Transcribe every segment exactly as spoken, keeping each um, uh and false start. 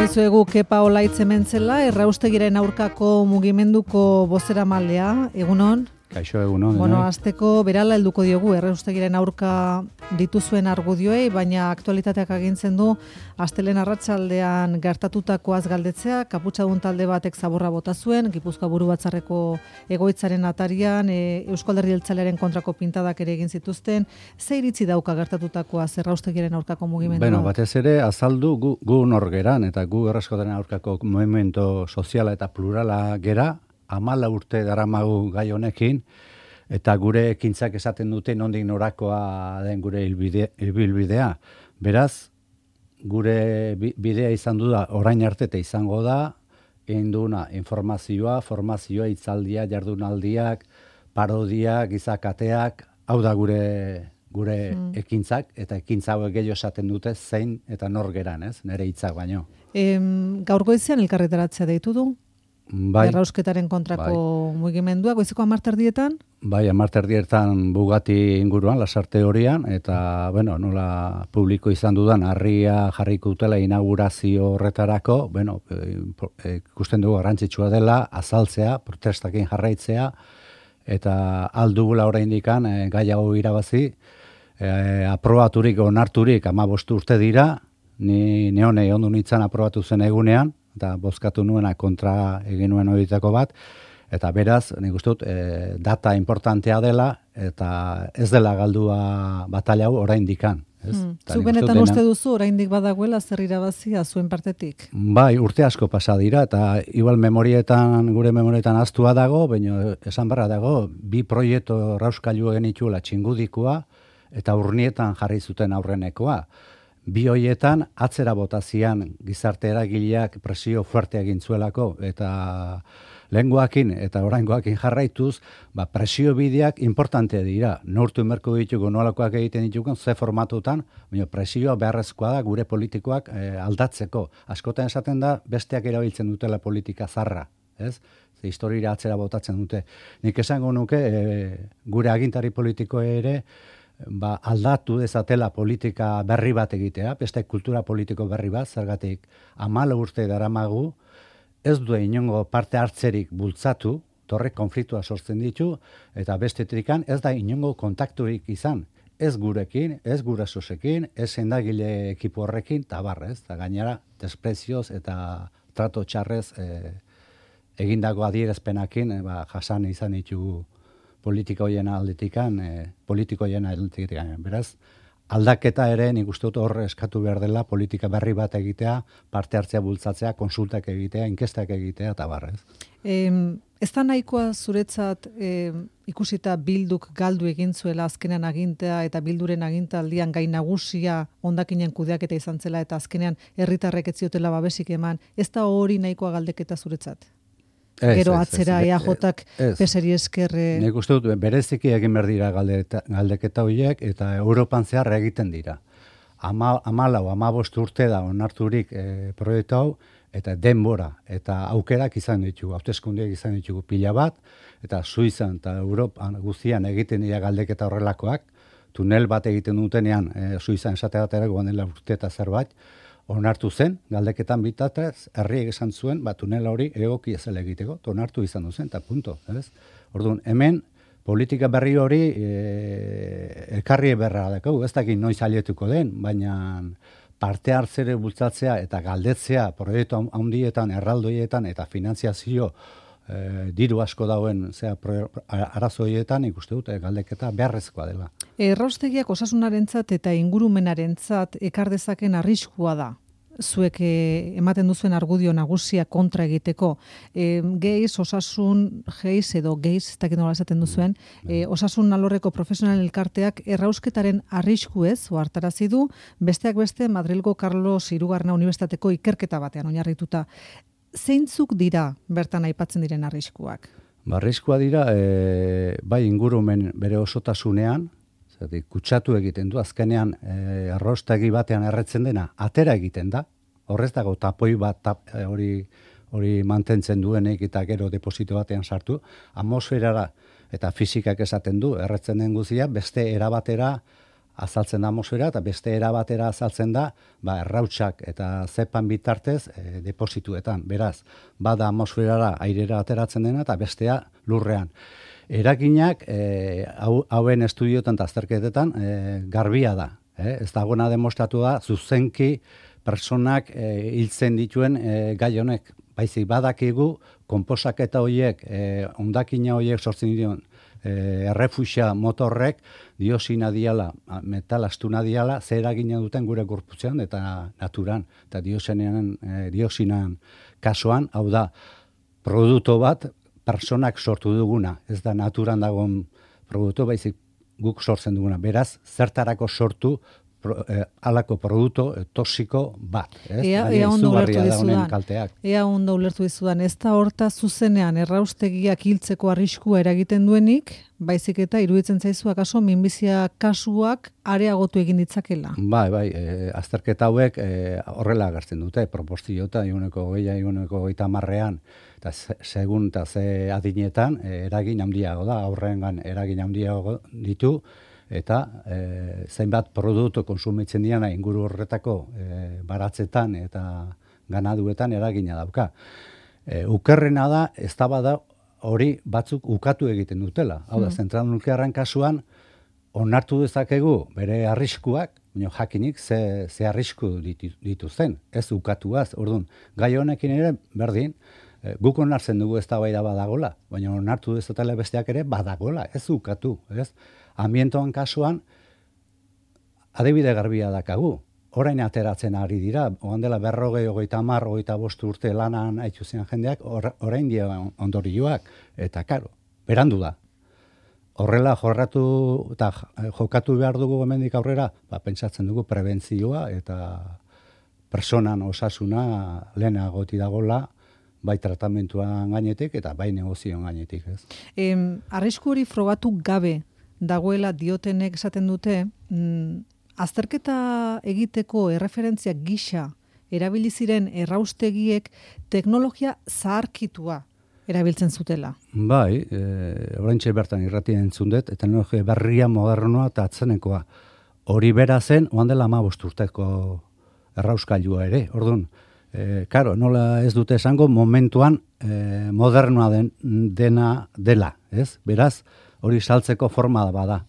dizuegu Kepa Olaitz hementzela, erraustegiren aurkako mugimenduko bozeramalea, egunon? Kaixo egunon. Bueno, azteko berala helduko diogu erraustegiren aurka dituzuen argudioei, baina aktualitateak agintzen du astelen arratsaldean gertatutakoaz galdetzea, kaputxadun talde batek zaborra bota zuen, Gipuzkoa Buru Batzarreko egoitzaren atarian, e, Eusko Alderdi Jeltzalearen kontrako pintadak ere egin zituzten. Ze iritzi dauka gertatutakoaz erraustegiren aurkako mugimendua? Bueno, batez ere azaldu gu, gu nor geran, eta gu erraustegiren aurkako mugimendu soziala eta plurala gera, hamala urte daramagu gai honekin, eta gure ekintzak esaten dute nondik norakoa den gure ibilbidea. Beraz, gure bidea izan du da, orain arte eta izango da, egin duna informazioa, formazioa, hitzaldia, jardunaldiak, parodiak, gizakateak, hau da gure gure mm. ekintzak, eta ekintza hauek gehiago esaten dute zein eta nor geran, ez? Nere hitzak baino. Em, gaur goizean elkarretaratzea deitu du? Bai, errausketaren kontrako bai. Mugimendua, goizeko hamarterdietan? Bai, hamarterdietan Bugatti inguruan, lasarte horian, eta, bueno, nola publiko izan dudan, harria jarriko utela inaugurazio horretarako, bueno, ikusten dugu garrantzitsua dela, azaltzea, protestakin jarraitzea, eta aldugula oraindikan e, gai hau irabazi, e, aprobaturik, onarturik, hamabost urte dira, ni neone ondu nintzen aprobatu zen egunean, eta bozkatu nuena kontra egin nuen horietako bat, eta beraz, nik uste dut, e, data importantea dela, eta ez dela galdua batalla hau oraindikan. Hmm. Zu benetan uste duzu oraindik badagoela zer irabazia zuen partetik? Bai, urte asko pasa dira, eta igual memorietan, gure memorietan aztua dago, baina esan barra dago, bi proiektu rauskailu genituela txingudikoa, eta urnietan jarri zuten aurrenekoa. Bi hoietan atzera botazian gizarte eragileak presio fuerte egin zuelako, eta lehengoakin eta oraingoakin jarraituz, ba, presio bideak importante dira. Neurtu merko ditugu nolakoak egiten ditugu, ze formatutan, baina presioa beharrezkoa da gure politikoak e, aldatzeko. Askotan esaten da, besteak erabiltzen dutela politika zarra, ez? Ze historira atzera botatzen dute. Nik esango nuke, e, gure agintari politiko ere, ba, aldatu dezatela politika berri bat egitea, beste kultura politiko berri bat, zergatik hamala urte daramagu, ez du inongo parte hartzerik bultzatu, torre konfliktua sortzen ditu, eta bestetrikan ez da inongo kontakturik izan, ez gurekin, ez gurasosekin, ez sendagile ekipo horrekin, eta barrez, eta gainera desprezioz eta trato txarrez e, egindako adierazpenakin, e, ba, jasan izan ditugu politika hoien aldetikan, e, politiko hoien aldetikan. Beraz, aldaketa ere nik uste dut hor eskatu behar dela politika berri bat egitea, parte hartzea bultzatzea, konsultak egitea, inkestak egitea, eta barrez. E, ez da nahikoa zuretzat e, ikusita Bilduk galdu egin zuela azkenean agintea eta Bilduren agintaldian gai nagusia hondakinen kudeaketa izan zela eta azkenean herritarrek ez ziotela babesik eman, ez da hori nahikoa galdeketa zuretzat? Ez, Gero atzera E A J-ak peseri eskerre... Nik uste dut, bereziki egin behar dira galdeketa horiek, eta Europan zehar egiten dira. Ama, amalau, amabost urte da onarturik e, proiektu hau, eta denbora, eta aukerak izan ditugu, hauteskundeak izan ditugu pila bat, eta Suizan eta Europan guztian egiten dira galdeketa horrelakoak, tunel bat egiten dutenean, e, Suizan esate baterako bandela urte eta zerbait, onartu zen, galdeketan bitatez, herriek esan zuen, ba, tunela hori egoki ezela egiteko, onartu izan duzen, eta punto. Ez? Orduan, hemen, politika berri hori e, elkarri berra dakau, ez dakit noiz alietuko den, baina parte hartzere bultzatzea eta galdetzea proiektu handietan, erraldoietan eta finanziazio e, diru asko dauen zea arazoietan ikuste dut galdeketa beharrezkoa dela. Erraustegiak osasunarentzat eta ingurumenarentzat ekar dezaken arriskua da. Zuek eh, ematen duzuen argudio nagusia kontra egiteko. E, geiz, osasun, geiz edo geiz, ez dakit nola esaten duzuen, e, osasun alorreko profesional elkarteak errausketaren arrisku ez, ohartarazi du, besteak beste Madrilgo Carlos Hirugarrena Unibertsitateko ikerketa batean oinarrituta. Zeintzuk dira bertan aipatzen diren arriskuak? Ba, arriskua dira, e, bai ingurumen bere osotasunean, zergatik kutsatu egiten du, azkenean e, arrostegi batean erretzen dena, atera egiten da, horrez dago tapoi bat tap, e, hori, hori mantentzen duenek eta gero deposito batean sartu, atmosferara eta fisikak esaten du, erretzen den guzia, beste erabatera azaltzen da atmosfera, eta beste era batera azaltzen da, ba, errautsak eta zepan bitartez e, deposituetan. Beraz, bada atmosferara airera ateratzen dena, eta bestea lurrean. Eraginak, e, hau, hauen estudioetan eta azterketetan, e, garbia da. E, ez dagoena demostratu da, zuzenki personak e, hiltzen dituen e, gai honek. Baizik badakigu, konposaketa horiek, e, ondakina horiek sortzen dituen, E, errefusia motorrek diosina diala, metal astuna diala, zer eragina duten gure gorputzean eta naturan. Eta diosinan, e, diosinan kasuan, hau da, produktu bat personak sortu duguna. Ez da naturan dagoen produktu, baizik guk sortzen duguna. Beraz, zertarako sortu Pro, eh, alako produktu eh, toxiko bat. Ez? Ea, ea ondo ulertu dizudan. Kalteak. Ea ondo ulertu dizudan. Ez da horta zuzenean erraustegiak hiltzeko arriskua eragiten duenik, baizik eta iruditzen zaizu akaso minbizia kasuak areagotu egin ditzakela. Bai, bai, e, azterketa hauek e, horrela agertzen dute, proportzioa ehuneko hogeia, ehuneko hogeita hamarrean, eta segun eta ze adinetan e, eragin handiago da, aurrengan eragin handiago ditu, eta e, zainbat produktu konsumitzen diana inguru horretako e, baratzetan eta ganaduetan eragina dauka. E, ukerrena da, ez da bada hori batzuk ukatu egiten dutela. Hau da, mm. zentral nuklearren kasuan, onartu dezakegu bere arriskuak, baina jakinik ze, ze arrisku ditu, dituzten, ez ukatuaz. Orduan, gai honekin ere, berdin, e, guk onartzen dugu ez da bai da badagola, baina onartu dezatela besteak ere badagola, ez ukatu, ez? Ambientoan kasuan, adibide garbia dakagu. Orain ateratzen ari dira, oan dela berrogei, hogeita hamar, hogeita bost urte lanan haitzuzen jendeak, or, orain dia ondorioak. Eta, karo, berandu da. Horrela jorratu eta jokatu behar dugu hemendik aurrera, ba, pentsatzen dugu prebentzioa eta personan osasuna lehenago dagoela, bai tratamentuan gainetik eta bai negozioan gainetik. Ez? Em, arrisku hori frogatu gabe dagoela diotenek esaten dute, mm, azterketa egiteko erreferentzia gisa erabili ziren erraustegiek teknologia zaharkitua erabiltzen zutela. Bai, e, oraintxe bertan irratien entzun dut, teknologia berria, modernoa eta atzenekoa. Hori bera zen, oan dela hamabost urteko errauskailua ere. Orduan, e, karo, nola ez dute esango, momentuan e, modernoa den, dena dela, ez? Beraz, hori saltzeko forma bada.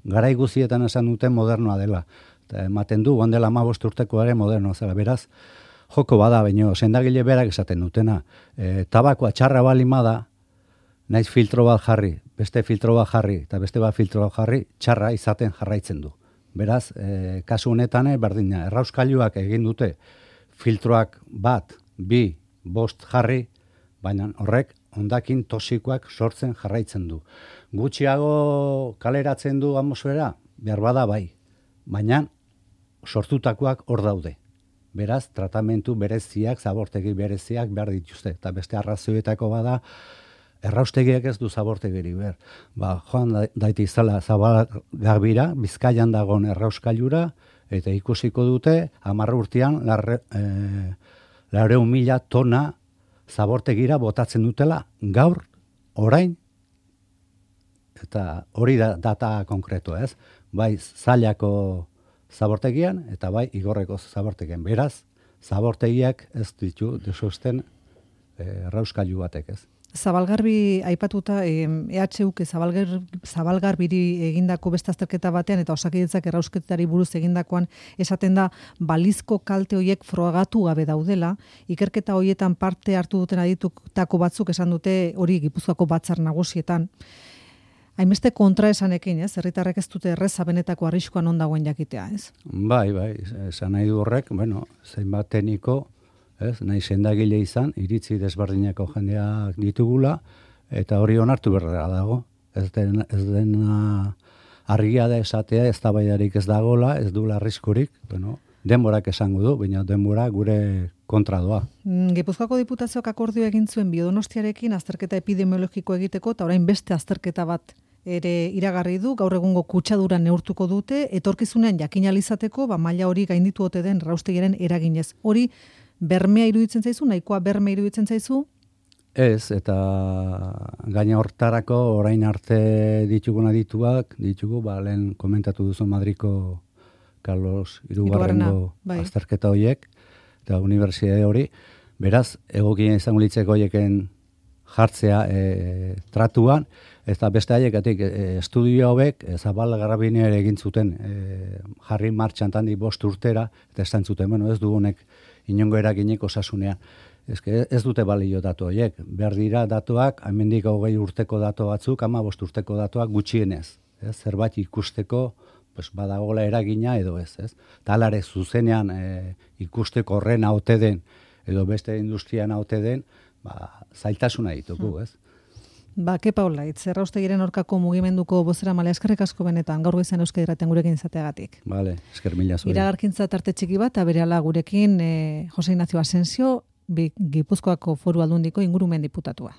Garai guztietan esan duten modernoa dela. Eta ematen du, oan dela hamabost urteko ere modernoa zela. Beraz, joko bada, baino, sendagile berak esaten dutena. E, tabakoa txarra balima da, naiz filtro bat jarri, beste filtro bat jarri, eta beste bat filtro bat jarri, txarra izaten jarraitzen du. Beraz, e, kasu honetan, berdina, errauskailuak egin dute filtroak bat, bi, bost jarri, baina horrek hondakin toxikoak sortzen jarraitzen du. Gutxiago kaleratzen du atmosfera, behar bada bai, baina sortutakoak hor daude. Beraz, tratamentu bereziak, zabortegi bereziak behar dituzte. Eta beste arrazioetako bada, erraustegiak ez du zabortegiri behar. Ba, joan daiti izala Zabalgarbira, Bizkaian dagoen errauskailura, eta ikusiko dute, hamar urtean, laurehun mila tona zabortegira botatzen dutela, gaur, orain, eta hori da data konkretu, ez? Bai, zailako zabortegian, eta bai, igorreko zabortegian. Beraz, zabortegiak ez ditu desusten errauskailu batek, ez? Zabalgarbi aipatuta, E H Uk Zabalgar, Zabalgarbiri egindako beste azterketa batean eta Osakidetzak errausketari buruz egindakoan esaten da balizko kalte horiek frogatu gabe daudela. Ikerketa horietan parte hartu duten aditutako batzuk esan dute hori Gipuzkoako batzar nagusietan. Hainbeste kontraesanekin, ez? Herritarrek ez dute erreza benetako arriskuan on dagoen jakitea, ez? Bai, bai, esan nahi du horrek, bueno, zenbat tekniko, ez, nahi sendagile izan, iritzi desberdineko jendeak ditugula, eta hori onartu berrera dago. Ez den, ez dena argia da esatea, ez tabaidarik ez dagola, ez duela arriskurik, bueno, denborak esango du, baina denbora gure kontra doa. Gipuzkoako Diputazioak akordio egin zuen Biodonostiarekin azterketa epidemiologiko egiteko, eta orain beste azterketa bat ere iragarri du, gaur egungo kutsadura neurtuko dute, etorkizunean jakin alizateko, ba, maila hori gainditu ote den erraustegiaren eraginez. Hori bermea iruditzen zaizu, nahikoa bermea iruditzen zaizu? Ez, eta gaina hortarako orain arte ditugun adituak, ditugu, ba, lehen komentatu duzu Madriko Carlos Hirugarrengo bai. azterketa horiek, eta unibertsitate hori, beraz, egokien izango litzeko horieken jartzea e, tratuan, eta beste haiekatik e, estudio hauek e, Zabal Garabiner egin zuten e, jarri martxan tandi bost urtera, eta esan zuten, bueno, ez dugunek inongo eraginik osasunean. Ez, ez dute balio datu horiek. Behar dira datuak, hemendik hogei urteko datu batzuk, ama bost urteko datuak gutxienez. Ez? Zerbait ikusteko pues, badagola eragina edo ez. ez? Talare zuzenean e, ikusteko horren haute den, edo beste industrian haute den, ba, zailtasuna ditugu, ez? Ba, Kepa Olaitz, Erraustegiren aurkako mugimenduko bozera male eskerrik asko benetan, gaur goizan Euskadi Irratian gurekin izateagatik. Vale, esker mila zuen. Iragarkintza tarte txiki bat, aberehala gurekin e, Jose Ignacio Asensio, Gipuzkoako Foru Aldundiko ingurumen diputatua.